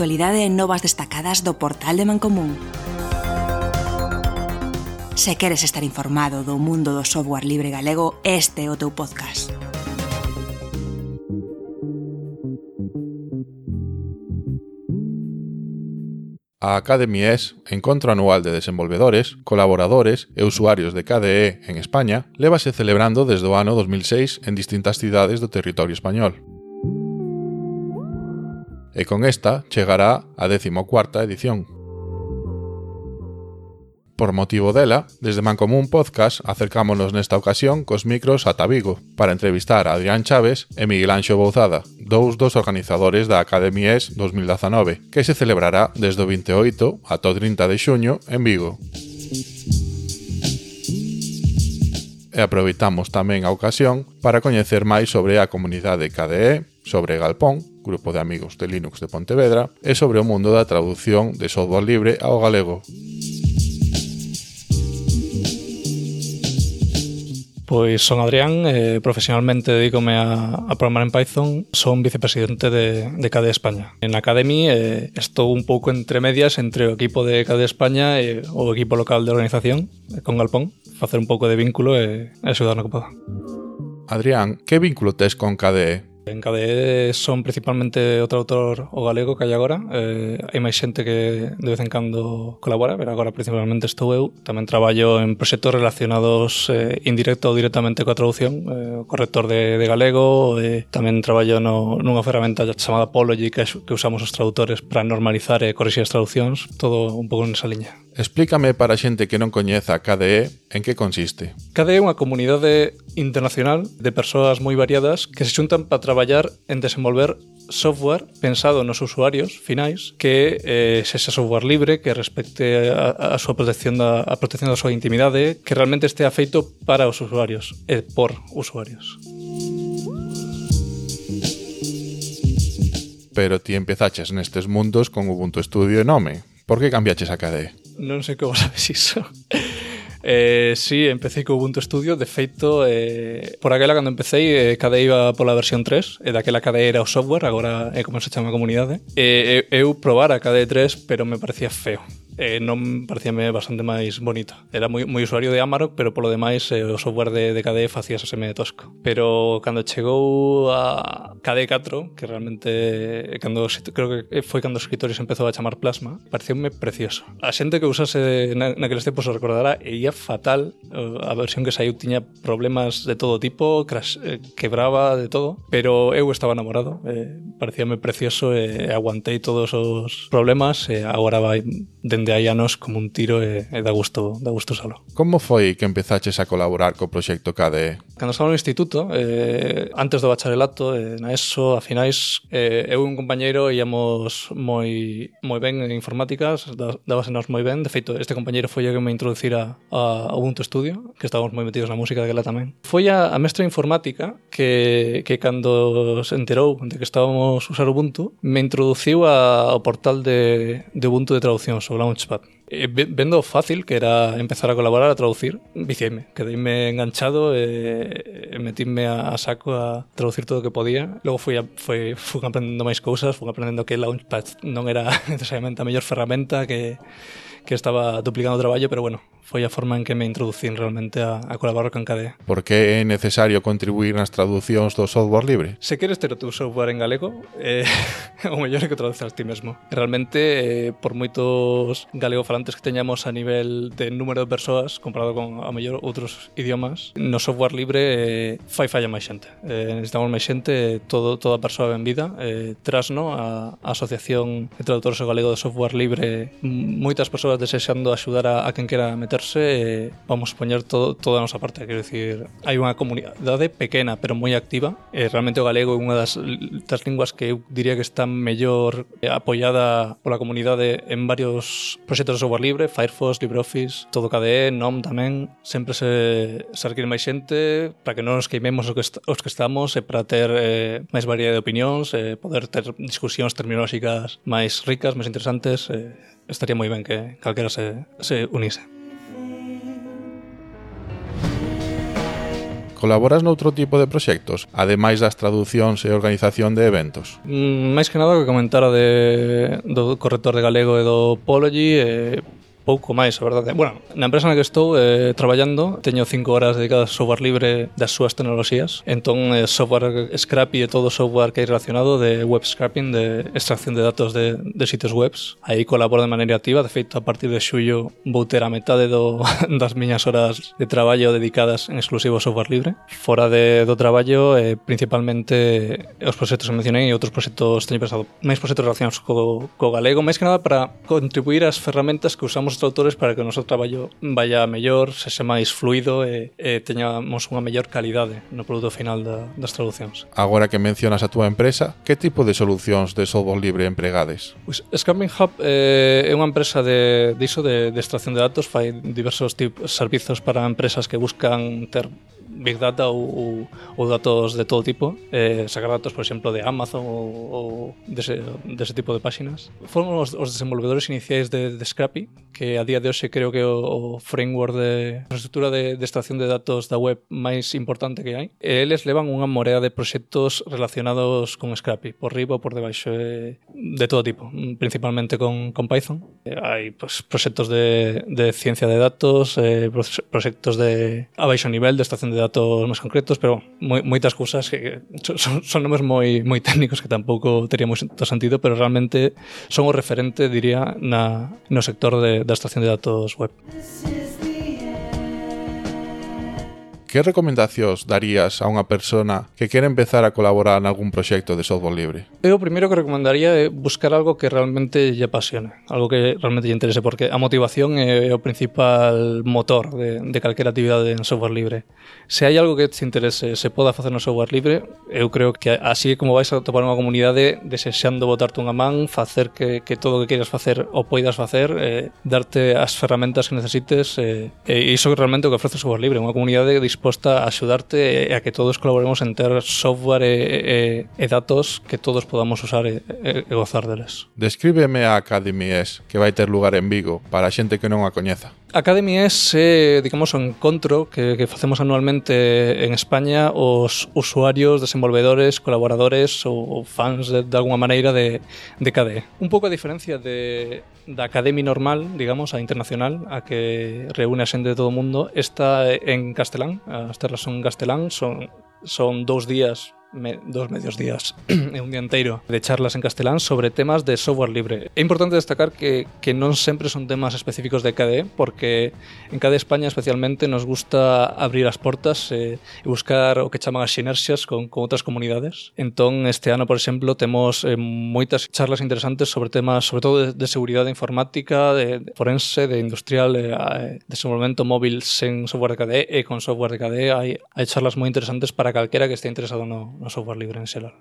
actualidade e novas destacadas do portal de Mancomún. Se queres estar informado do mundo do software libre galego, este é o teu podcast. A Academy ES, encontro anual de desenvolvedores, colaboradores e usuarios de KDE en España, lévase celebrando desde o ano 2006 en distintas cidades do territorio español. E con esta chegará a 14ª edición. Por motivo dela, desde Mancomún Podcast acercámonos nesta ocasión cos micros ata Vigo para entrevistar a Adrián Chaves e Miguel Anxo Bouzada, dous dos organizadores da Academy ES 2019, que se celebrará desde o 28 ata o 30 de xuño en Vigo. E aproveitamos tamén a ocasión para coñecer máis sobre a comunidade KDE, sobre Galpón, grupo de amigos de Linux de Pontevedra, e sobre o mundo da traducción de software libre ao galego. Pois son Adrián, profesionalmente dedícome a programar en Python, son vicepresidente de KDE España. En Academy estou un pouco entre medias entre o equipo de KDE España e o equipo local de organización, con Galpón, facer un pouco de vínculo e axudar no que poda. Adrián, que vínculo tes con KDE? En KDE son principalmente o traductor o galego que hai agora. Hai máis xente que de vez en cando colabora, pero agora principalmente estou eu. Tamén traballo en proxectos relacionados indirecto ou directamente coa traducción, corrector de galego, tamén traballo nunha ferramenta chamada Apology que usamos os traductores para normalizar e corrixir as traduccións, todo un pouco nesa liña. Explícame para a xente que non coñeza a KDE en que consiste. KDE é unha comunidade internacional de persoas moi variadas que se xuntan para traballar en desenvolver software pensado nos usuarios finais que sexa software libre, que respecte a súa protección da súa intimidade, que realmente estea feito para os usuarios e por usuarios. Pero ti empezaches nestes mundos con Ubuntu Studio e Nome. Por que cambiaches a KDE? Non sei como sabes iso. Sí, empecé co Ubuntu Studio. De feito, por aquela cando empecé, KDE iba pola versión 3, e daquela KDE era o software, agora é como se chama a comunidade. Eu probara a KDE 3, pero me parecía feo. Non parecíame bastante máis bonito. Era moi usuario de Amarok, pero polo demais o software de KDE facíase medio tosco. Pero cando chegou a KDE 4, que realmente creo que foi cando os escritores empezou a chamar Plasma, pareceume precioso. A xente que usase naqueles tempos o recordará, e ia fatal. A versión que saiu tiña problemas de todo tipo, quebraba de todo, pero eu estaba enamorado, parecíame precioso e aguantei todos os problemas, e agora vai dende hai anos como un tiro e dá gusto usalo. Como foi que empezaches a colaborar co proxecto KDE? Cando estaba no instituto, antes do bacharelato, na ESO, a finais, eu e un compañeiro íamos moi ben en informáticas, dábasenos moi ben. De feito, este compañeiro foi o que me introducira a Ubuntu Studio, que estábamos moi metidos na música daquela tamén. Foi a mestra informática que cando se enterou de que estábamos a usar Ubuntu, me introduciu ao portal de Ubuntu de traducción, o Launchpad. Vendo fácil que era empezar a colaborar, a traducir, viciéme, quedeime enganchado e metíme a saco a traducir todo o que podía. Logo fui aprendendo máis cousas, fui aprendendo que Launchpad non era necesariamente a mellor ferramenta, que estaba duplicando o traballo, pero bueno, foi a forma en que me introducín realmente a colaborar con KDE. Por que é necesario contribuir nas traducións do software libre? Se queres ter o teu software en galego, o mellor é que traduzas ti mesmo. Realmente, por moitos galegofalantes que teñamos a nivel de número de persoas, comparado con a mellor outros idiomas, no software libre falla máis xente. Necesitamos máis xente, toda persoa ben vida. Trasno, a Asociación de Traductores ao Galego de Software Libre, moitas persoas desexando axudar a quen quera meterse, vamos poñer toda a nosa parte. Quero dicir, hai unha comunidade pequena pero moi activa, realmente o galego é unha das linguas que eu diría que está mellor apoiada pola comunidade en varios proxectos de software libre, Firefox, LibreOffice, todo KDE, NOM tamén. Sempre se require máis xente para que non nos queimemos os que estamos, e para ter máis variedade de opinións, poder ter discusións terminolóxicas máis ricas, máis interesantes. Estaría moi ben que calquera se unise. Colaboras noutro tipo de proxectos, ademais das traducións e organización de eventos? Máis que nada o que comentara do corrector de galego e do Pology, pouco máis, a verdade. Bueno, na empresa na que estou traballando teño 5 horas dedicadas ao software libre das súas tecnoloxías. Entón, software Scrappy e todo o software que hai relacionado de web scraping, de extracción de datos de sitios webs. Aí colaboro de maneira activa. De feito, a partir de xullo vou ter a metade das miñas horas de traballo dedicadas en exclusivo ao software libre. Fora do traballo, principalmente os proxectos que mencionei e outros proxectos, teño pensado máis proxectos relacionados co galego, máis que nada para contribuir ás ferramentas que usamos os traductores para que o noso traballo vaya mellor, sexa máis fluido e teñamos unha mellor calidade no produto final das traducións. Agora que mencionas a túa empresa, que tipo de solucións de software libre empregades? Pues, Scrapping Hub é unha empresa de extracción de datos, fai diversos servizos para empresas que buscan ter Big Data ou datos de todo tipo, sacar datos, por exemplo, de Amazon ou dese tipo de páxinas. Foron os desenvolvedores iniciais de Scrappy, que a día de hoxe creo que o framework de infraestructura de extracción de datos da web máis importante que hai. E eles levan unha morea de proxectos relacionados con Scrappy, por riba ou por debaixo, de todo tipo, principalmente con Python. Hai proxectos de ciencia de datos, proxectos de a baixo nivel de extracción de datos máis concretos, pero moitas cousas que son nomes moi técnicos que tampouco tería moito sentido, pero realmente son o referente, diría, no sector da extracción de datos web. Que recomendacións darías a unha persona que quere empezar a colaborar en algún proxecto de software libre? Eu o primeiro que recomendaría é buscar algo que realmente lle apasione, algo que realmente lle interese, porque a motivación é o principal motor de calquera actividade en software libre. Se hai algo que te interese, se poda facer no software libre, eu creo que así como vais a topar unha comunidade desexando botarte unha man, facer que todo o que queiras facer o poidas facer, darte as ferramentas que necesites, e iso realmente o que ofrece o software libre, unha comunidade disposta a axudarte e a que todos colaboremos en ter software e datos que todos podamos usar e gozar deles. Descríbeme a Academy S, que vai ter lugar en Vigo, para a xente que non a coñeza. Academy é, digamos, o encontro que facemos anualmente en España os usuarios, desenvolvedores, colaboradores ou fans de alguma maneira de KDE. Un pouco a diferencia da Academy normal, digamos, a internacional, a que reúne a xente de todo o mundo, esta en castelán, as terras son en castelán, son 2 días, 2 medios días e un día inteiro de charlas en castelán sobre temas de software libre. É importante destacar que non sempre son temas específicos de KDE, porque en KDE España especialmente nos gusta abrir as portas e buscar o que chaman as sinerxias con outras comunidades. Entón, este ano, por exemplo, temos moitas charlas interesantes sobre temas, sobre todo de seguridade informática, de forense, de industrial, de desenvolvemento móvil sen software de KDE e con software de KDE. Hai charlas moi interesantes para calquera que este interesado no software libre en xeral.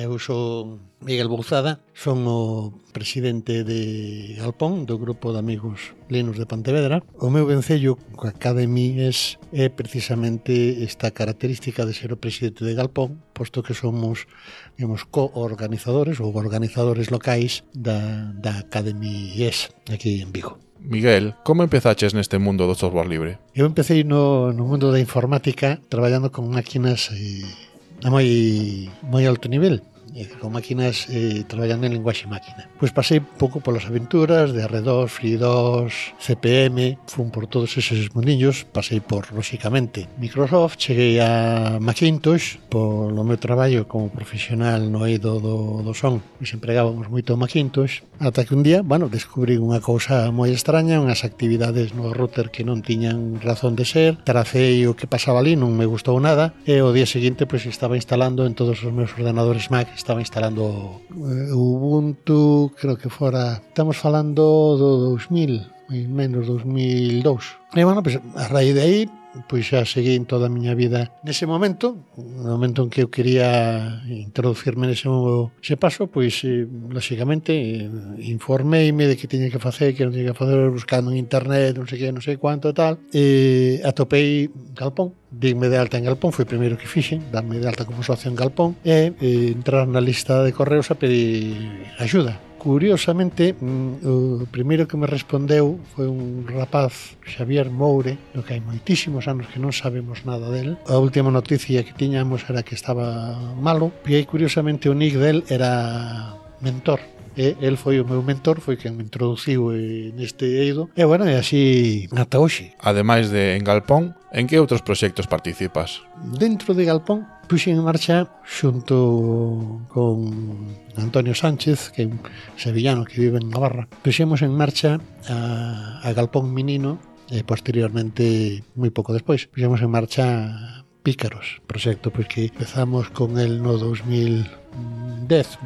Eu sou Miguel Bouzada, son o presidente de Galpón, do grupo de amigos Linux de Pontevedra. O meu vencello coa Academy é precisamente esta característica de ser o presidente de Galpón, posto que somos, digamos, co-organizadores ou organizadores locais da Academy aquí en Vigo. Miguel, como empezaches neste mundo do software libre? Eu empecé no mundo da informática traballando con máquinas a moi alto nivel, con máquinas traballando en linguaxe máquina. Pois pasei pouco polas aventuras de R2, FreeDOS, CPM, fun por todos eses mundillos, pasei por, lóxicamente, Microsoft, cheguei a Macintosh, polo meu traballo como profesional no eido do son, nos empregábamos moito o Macintosh, ata que un día, descubrí unha cousa moi extraña, unhas actividades no router que non tiñan razón de ser, tracei o que pasaba ali, non me gustou nada, e o día seguinte estaba instalando en todos os meus ordenadores Mac, estaba instalando Ubuntu, creo que fora, estamos falando do 2000, menos 2002. E a raíz de aí, pois xa seguí en toda a miña vida nese momento, no momento en que eu quería introducirme nese paso, pois lóxicamente informeime de que tiña que facer, que non tiña que facer, buscando en internet, non sei que, non sei cuánto e tal, e atopei Galpón. Dime de alta en Galpón, foi o primeiro que fixen, darme de alta como socio en Galpón e entrar na lista de correos a pedir axuda. Curiosamente, o primeiro que me respondeu foi un rapaz, Xavier Moure, no que hai moitísimos anos que non sabemos nada del. A última noticia que tiñamos era que estaba malo, e aí curiosamente o nick del era Mentor. E el foi o meu mentor, foi quen me introduciu neste eido. E bueno, e así ata hoxe. Ademais de en Galpón, en que outros proxectos participas? Dentro de Galpón puxen en marcha xunto con Antonio Sánchez, que é un sevillano que vive en Navarra. Puxemos en marcha a Galpón Menino e posteriormente, moi pouco despois, puxemos en marcha Pícaros, proxecto pois que empezamos con el no 2010,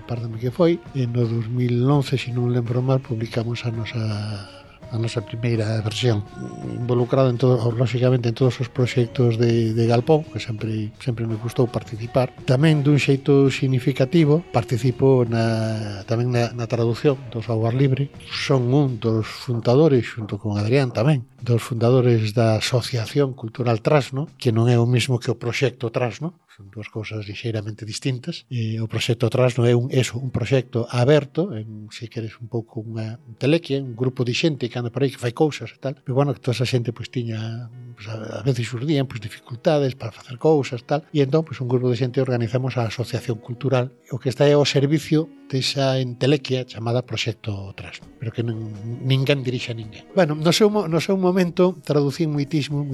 pardame que foi, e no 2011, se non lembro mal, publicamos a nosa primeira versión, involucrado en todo, lógicamente en todos os proxectos de Galpón, que sempre me gustou participar. Tamén dun xeito significativo participo tamén na traducción do software libre. Son un dos fundadores, xunto con Adrián tamén, dos fundadores da Asociación Cultural Trasno, que non é o mismo que o proxecto Trasno, son dúas cousas lixeiramente distintas. O proxecto Trasno é un proxecto aberto, se queres un pouco unha telequia, un grupo de xente que anda por aí que fai cousas e tal, pero bueno, que toda esa xente pois tiña, pois, a veces xurdían pois dificultades para facer cousas tal, e entón pois un grupo de xente organizamos a Asociación Cultural, o que está é ao servicio desa entelequia chamada Proxecto Trasno, pero que ninguén dirixe a ninguén. Bueno, no seu momento traducín moitismo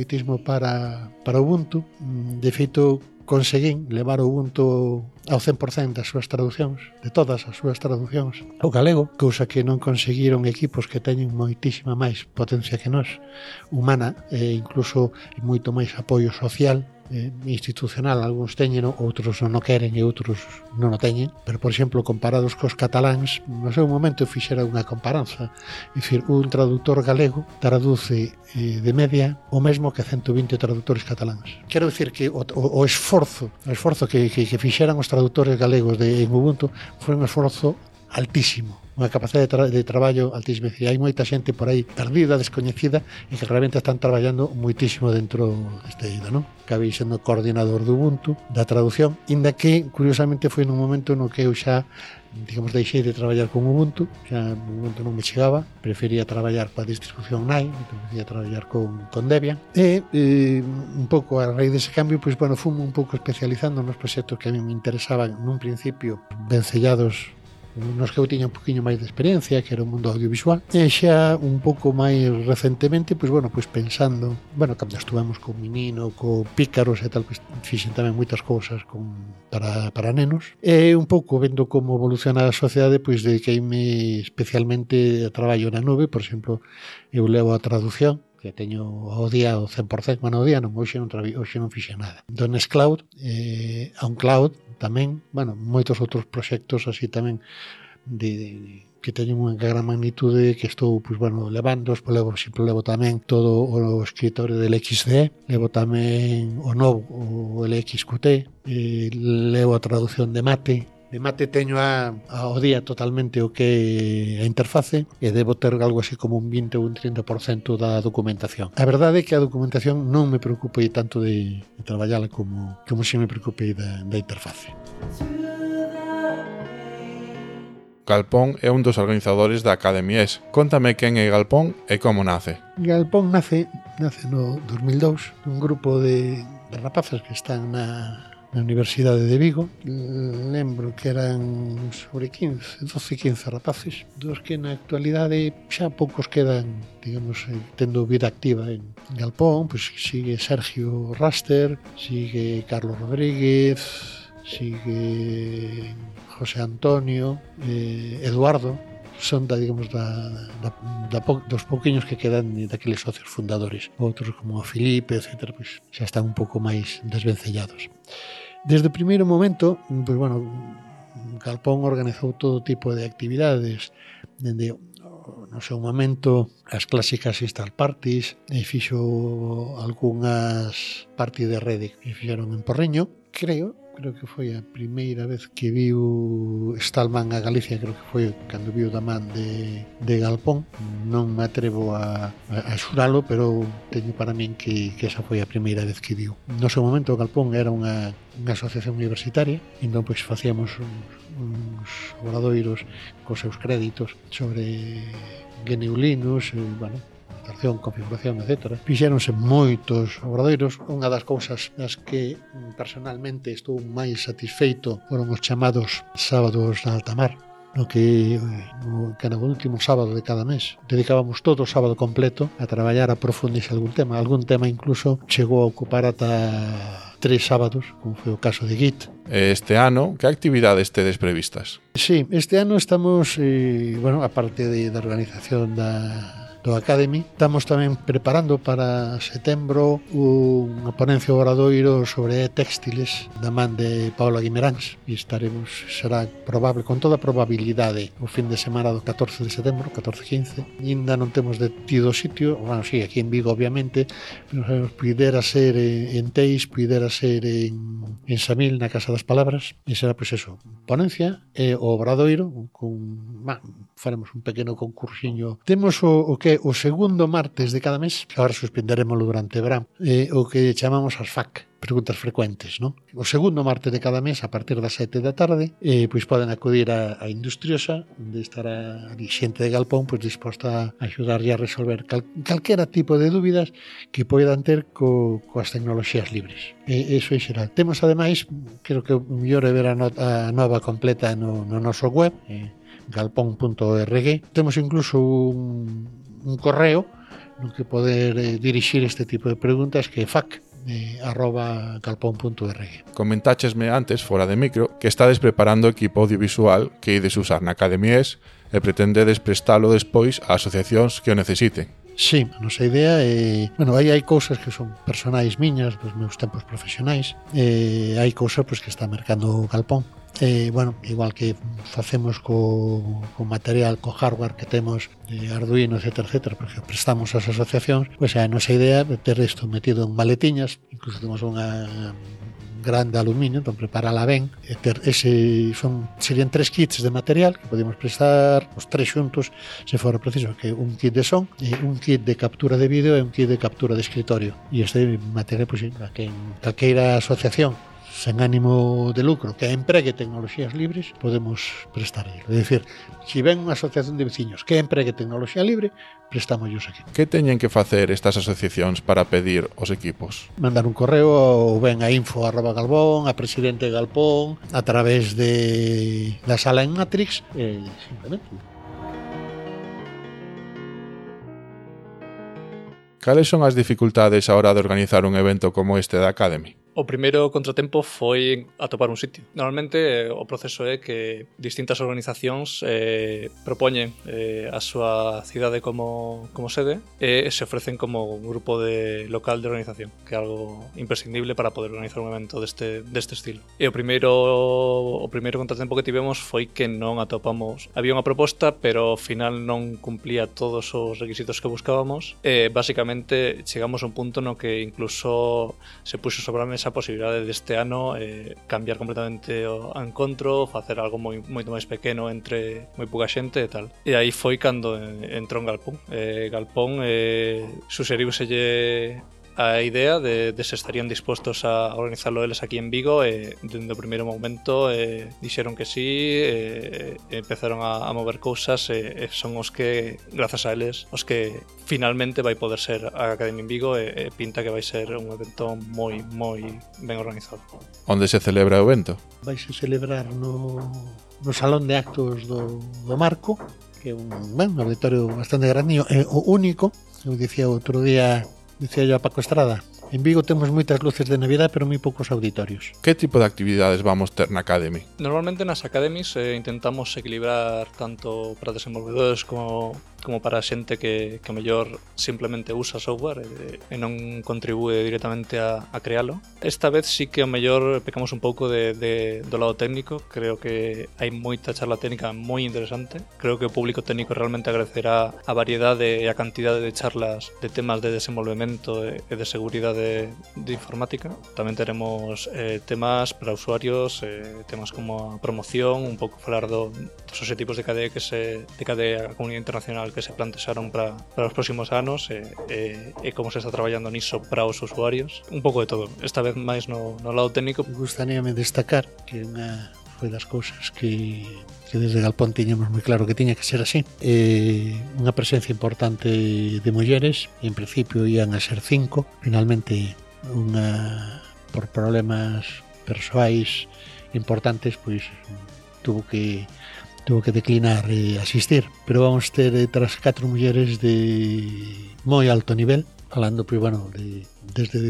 para Ubuntu. De feito, conseguín levar o Ubuntu ao 100% das súas traduccións, de todas as súas traducións ao galego, cousa que non conseguiron equipos que teñen moitísima máis potencia que nós, humana e incluso moito máis apoio social, institucional. Algúns teñen, outros non o queren e outros non o teñen, pero por exemplo comparados cos cataláns, no seu momento fixera unha comparanza, é dicir, un traductor galego traduce de media o mesmo que 120 traductores cataláns. Quero dicir que o esforzo que fixeran os traductores galegos en Ubuntu foi un esforzo altísimo, unha capacidade de traballo altísima. Hai moita xente por aí perdida, descoñecida, e que realmente están traballando moitísimo dentro deste eido, non? Acabei sendo coordinador do Ubuntu, da traducción, inda que, curiosamente, foi nun momento no que eu xa, digamos, deixei de traballar con Ubuntu, xa no momento non me chegaba, prefería traballar coa distribución NAI, prefería traballar con Debian, e un pouco a raíz dese cambio, pois, bueno, fumo un pouco especializando nos proxectos que a mí me interesaban nun principio vencellados nos que eu tiña un poquinho máis de experiencia, que era o mundo audiovisual, e xa un pouco máis recentemente, pois bueno, pois pensando, bueno, cando estuvemos con Menino, co Pícaros e tal, pois fixen tamén moitas cousas para nenos, e un pouco vendo como evoluciona a sociedade, pois dediqueime especialmente a traballo na nube. Por exemplo, eu levo a traducción, que teño ao día o 100%, bueno, ao día non, hoxe non fixen nada. Do Nextcloud, a un cloud tamén, bueno, moitos outros proxectos así tamén que teñen unha gran magnitude que estou, pois, bueno, levando, levo tamén todo o escritorio del XD, levo tamén o novo, o LXQT, levo a traducción de Mate. De Mate teño ao día totalmente o que é a interface, e debo ter algo así como un 20 ou un 30% da documentación. A verdade é que a documentación non me preocupei tanto de traballala como se me preocupei da interface. Galpón é un dos organizadores da Academia ES. Contame quen é Galpón e como nace. Galpón nace no 2002, un grupo de rapaces que están na Universidade de Vigo. Lembro que eran sobre 12, 15 rapaces, dos que na actualidade xa poucos quedan, digamos, tendo vida activa en Galpón. Pois sigue Sergio Raster, sigue Carlos Rodríguez, sigue José Antonio, Eduardo. Son digamos, dos pouquiños que quedan daqueles socios fundadores. Outros como Filipe, etc., pois xa están un pouco máis desvencellados. Desde o primeiro momento, pois, bueno, Galpón organizou todo tipo de actividades, dende no seu momento as clásicas install parties, e fixo algunhas parties de rede que fixeron en Porriño, creo creo que foi a primeira vez que viu Stallman a Galicia, creo que foi cando viu da man de Galpón. Non me atrevo a xuralo, pero teño para min que esa foi a primeira vez que viu. No seu momento Galpón era unha asociación universitaria, entón pois facíamos uns obradoiros cos seus créditos sobre GNU Linux, configuración, etc. Fixéronse moitos obradoiros. Unha das cousas nas que personalmente estou máis satisfeito foron os chamados sábados de alta mar, no que era o último sábado de cada mes dedicábamos todo o sábado completo a traballar a profundizar algún tema incluso chegou a ocupar ata 3 sábados, como foi o caso de Git. Este ano, que actividades tedes previstas? Sí, este ano estamos, aparte da organización do Academy, estamos tamén preparando para setembro unha ponencia obradoiro sobre textiles da man de Paula Guimeráns e será probable, con toda probabilidade, o fin de semana do 14 de setembro, 14-15. Ainda non temos detido sitio, sí, aquí en Vigo obviamente, pero pudera ser en Teis, pudera ser en Samil, na Casa das Palabras, e será pois eso, ponencia e o obradoiro faremos un pequeno concursiño. Temos o segundo martes de cada mes, agora suspenderemoslo durante o verán, o que chamamos as FAQ, preguntas frecuentes, non? O segundo martes de cada mes, a partir das 7 da tarde, pois poden acudir a Industriosa, onde estará a xente de Galpón pois disposta a axudarlle a resolver calquera tipo de dúbidas que poidan ter coas tecnoloxías libres. Eso é xeral. Temos, ademais, creo que o mellor é ver a nova completa no noso web, galpón.org. Temos incluso un correo no que poder dirixir este tipo de preguntas, que é fac@galpón.org. Comentáchesme antes, fora de micro, que estades preparando equipo audiovisual que ides usar na Academia ES e pretendedes prestalo despois a asociacións que o necesiten. Sí, a nosa idea é... aí hai cousas que son personais miñas dos meus tempos profesionais, hai cousas que está mercando Galpón. Igual que facemos co material, co hardware que temos de Arduino, etc, porque prestamos ás asociacións, a nosa idea é ter isto metido en maletiñas, incluso temos unha grande aluminio, entón preparala ben, serían 3 kits de material que podemos prestar os 3 xuntos se fora preciso, que un kit de son, un kit de captura de vídeo e un kit de captura de escritorio, e este material que en calqueira asociación sen ánimo de lucro que empregue tecnoloxías libres podemos prestarlle. É dicir, se ven unha asociación de veciños que empregue tecnoloxía libre, prestámoslos aquí. Que teñen que facer estas asociacións para pedir os equipos? Mandar un correo ou ben a info@galpón, a presidente de Galpón, a través da sala en Matrix, simplemente. Cales son as dificultades a hora de organizar un evento como este da Academy? O primeiro contratempo foi atopar un sitio. Normalmente o proceso é que distintas organizacións propoñen a súa cidade como sede e se ofrecen como un grupo local de organización, que é algo imprescindible para poder organizar un evento deste estilo. E o primeiro contratempo que tivemos foi que non atopamos. Había unha proposta, pero ao final non cumplía todos os requisitos que buscábamos e basicamente chegamos a un punto no que incluso se puxo sobre a mesa a posibilidade deste ano cambiar completamente o encontro, facer algo moito máis pequeno entre moi pouca xente e tal. E aí foi cando entrou en Galpón. Galpón suxeriuselle a idea de se estarían dispostos a organizarlo eles aquí en Vigo e dende o primeiro momento dixeron que sí, empezaron a mover cousas e son os que, grazas a eles, os que finalmente vai poder ser a Academia en Vigo e pinta que vai ser un evento moi ben organizado. Onde se celebra o evento? Vai se celebrar no Salón de Actos do Marco, que é un auditorio bastante grande, é o único. Eu dicía outro día, dicía yo a Paco Estrada, en Vigo temos moitas luces de Navidad, pero moi poucos auditorios. Que tipo de actividades vamos ter na Academy? Normalmente nas Academies intentamos equilibrar tanto para desenvolvedores como para xente que mellor simplemente usa software e non contribúe directamente a crealo. Esta vez sí que o mellor pecamos un pouco do lado técnico. Creo que hai moita charla técnica moi interesante. Creo que o público técnico realmente agradecerá a variedade e a cantidade de charlas de temas de desenvolvemento e de seguridade de informática. Tamén teremos temas para usuarios, temas como a promoción, un pouco falar dos obxectivos de KDE a comunidade internacional que se plantexaron para os próximos anos e como se está traballando niso para os usuarios. Un pouco de todo, esta vez máis no lado técnico. Gustaríame destacar que foi das cousas que desde Galpón tiñamos moi claro que tiña que ser así. Unha presencia importante de mulleres, en principio ian a ser 5, finalmente por problemas persoais importantes, pois tuvo que declinar asistir, pero vamos ter tras 4 mulleres de moi alto nivel, falando pois bueno, desde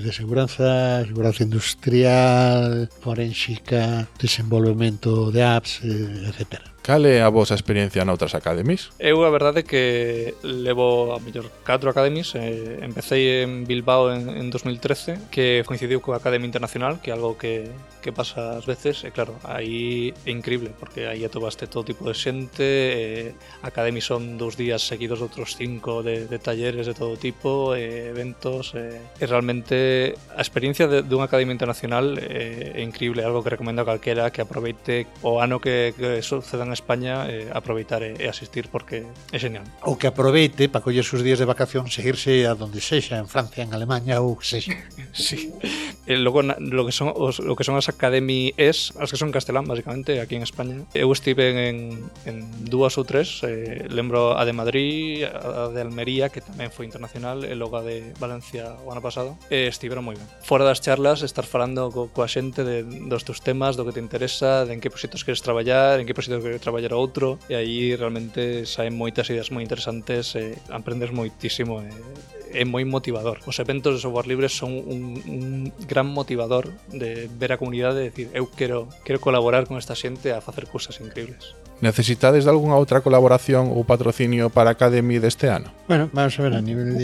de seguranza industrial, forénsica, desenvolvemento de apps, etcétera. Cal é a vosa experiencia noutras academies? Eu a verdade que levo a mellor 4 academies. Empecé en Bilbao en 2013, que coincidiu coa Academia Internacional, que é algo que pasa ás veces, e claro, aí é increíble, porque aí atopaste todo tipo de xente, academies son 2 días seguidos de outros 5 de talleres de todo tipo, eventos, e realmente a experiencia dunha Academia Internacional é increíble, algo que recomendo a calquera que aproveite o ano que sucedan España, aproveitar e asistir, porque é genial. Ou que aproveite para coller sus días de vacación, seguirse a donde sexa, en Francia, en Alemania ou que sexa. Sí. Logo lo que son as academies, as que son castelán, basicamente, aquí en España. Eu estive en 2 ou 3, lembro a de Madrid, a de Almería, que tamén foi internacional, e logo a de Valencia o ano pasado, e estiveron moi ben. Fora das charlas, estar falando coa xente dos teus temas, do que te interesa, de en que proxectos queres traballar, en que proxectos queres traballar outro, e aí realmente saen moitas ideas moi interesantes, aprendes moitísimo, é moi motivador. Os eventos de software libre son un gran motivador de ver a comunidade e decir, eu quero colaborar con esta xente a facer cousas increíbles. Necesitades de algunha outra colaboración ou patrocinio para a Academy deste ano? Bueno, vamos a ver, a nivel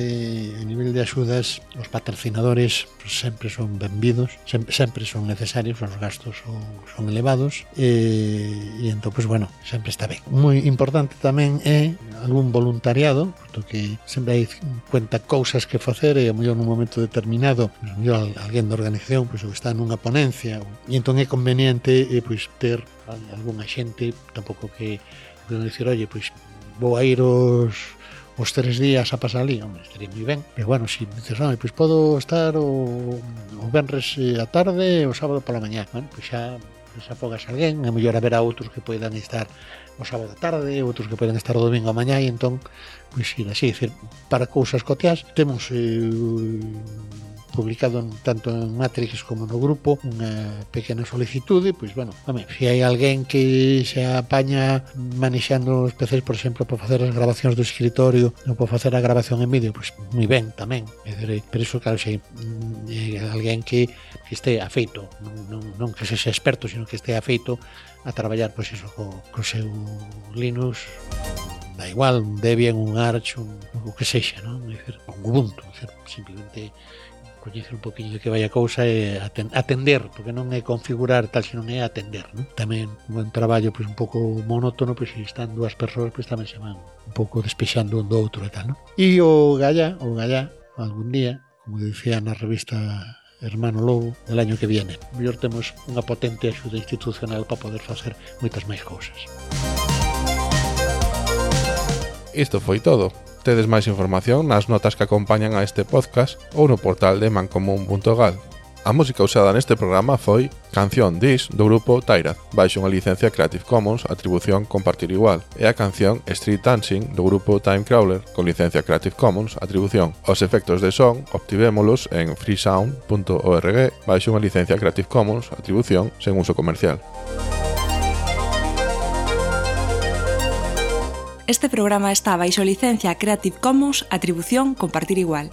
de axudas, os patrocinadores sempre son benvidos, sempre son necesarios, os gastos son elevados, e entón, pues bueno, sempre está ben. Moi importante tamén é algún voluntariado, porque sempre hai cuenta cousas que facer, e a mellor nun momento determinado, a mellor alguén da organización pois está nunha ponencia, e entón é conveniente pois ter algunha xente, tampouco que dicir, oye, pois vou a ir os 3 días a pasar ali, hombre, estaría moi ben, pero bueno, si dices, pois podo estar o venres a tarde e o sábado pola mañá, bueno, pois xa afogas alguén, a mellor haberá outros que poidan estar o sábado a tarde, outros que poden estar o domingo a mañá, e entón, pois ir así, decir, para cousas coteas, temos publicado tanto en Matrix como no grupo unha pequena solicitude, pois bueno, se hai alguén que se apaña manexando os PCs, por exemplo, para facer as grabacións do escritorio ou para facer a grabación en vídeo, pois moi ben tamén, pero iso claro, se hai alguén que este afeito, non que sexa experto, sino que este afeito a traballar, pois iso, co seu Linux, da igual, un Debian, un Arch, o que sexa, non? Un Ubuntu, simplemente coñecer un poquinho de que vai a cousa e atender, porque non é configurar tal, senón é atender, non? Tamén un traballo pois un pouco monótono, pois se están 2 persoas, pois tamén se van un pouco despexando un do outro e tal, non? E o Gallá, algún día, como dicía na revista Hermano Lobo, del año que viene, mellor temos unha potente axuda institucional para poder facer moitas máis cousas. Isto foi todo. Tedes máis información nas notas que acompañan a este podcast ou no portal de mancomun.gal. A música usada neste programa foi Canción Dis do grupo Tairaz, baixo unha licencia Creative Commons, atribución compartir igual, e a canción Street Dancing do grupo Timecrawler, con licencia Creative Commons, atribución. Os efectos de son obtivémolos en freesound.org, baixo unha licencia Creative Commons, atribución sen uso comercial. Este programa está baixo licencia Creative Commons, atribución compartir igual.